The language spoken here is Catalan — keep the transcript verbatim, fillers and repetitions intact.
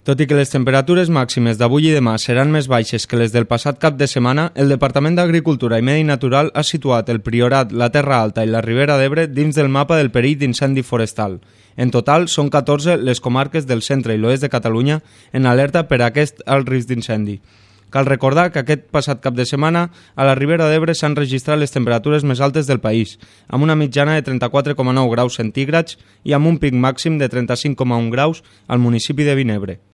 Tot i que les temperatures màximes d'avui i demà seran més baixes que les del passat cap de setmana, el Departament d'Agricultura i Medi Natural ha situat el Priorat, la Terra Alta i la Ribera d'Ebre dins del mapa del perill d'incendi forestal. En total, són catorze les comarques del centre i l'oest de Catalunya en alerta per a aquest alt risc d'incendi. Cal recordar que aquest passat cap de setmana a la Ribera d'Ebre s'han registrat les temperatures més altes del país, amb una mitjana de trenta-quatre coma nou graus centígrads i amb un pic màxim de trenta-cinc coma un graus al municipi de Vinebre.